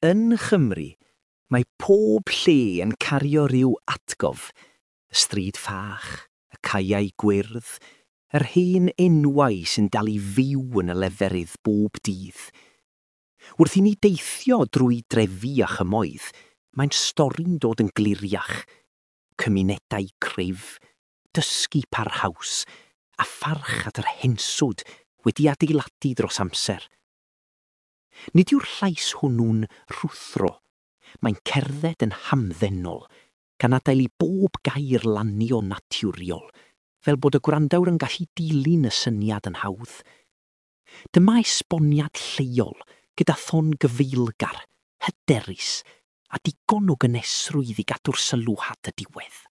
Yn Nghymru, mae pob lle yn cario rhyw atgof, y stryd fach, y caeau gwyrdd, yr hen enwau sy'n dal i fyw yn y leferydd bob dydd. Wrth i ni deithio drwy drefi a chymoedd, mae'n stori'n dod yn gliriach. Cymunedau cryf, dysgu parhaus, a pharch at yr henswd wedi adeiladu dros amser. Nid yw'r llais hwnnw'n rhuthro. Mae'n cerdded yn hamddenol, gan adael i bob gair lanio'n naturiol, fel bod y gwrandawr yn gallu dilyn y syniad yn hawdd. Dyma esboniad lleol, gyda thon gyfeillgar, hyderus, a digon o gynesrwydd i gadw'r sylw at y diwedd.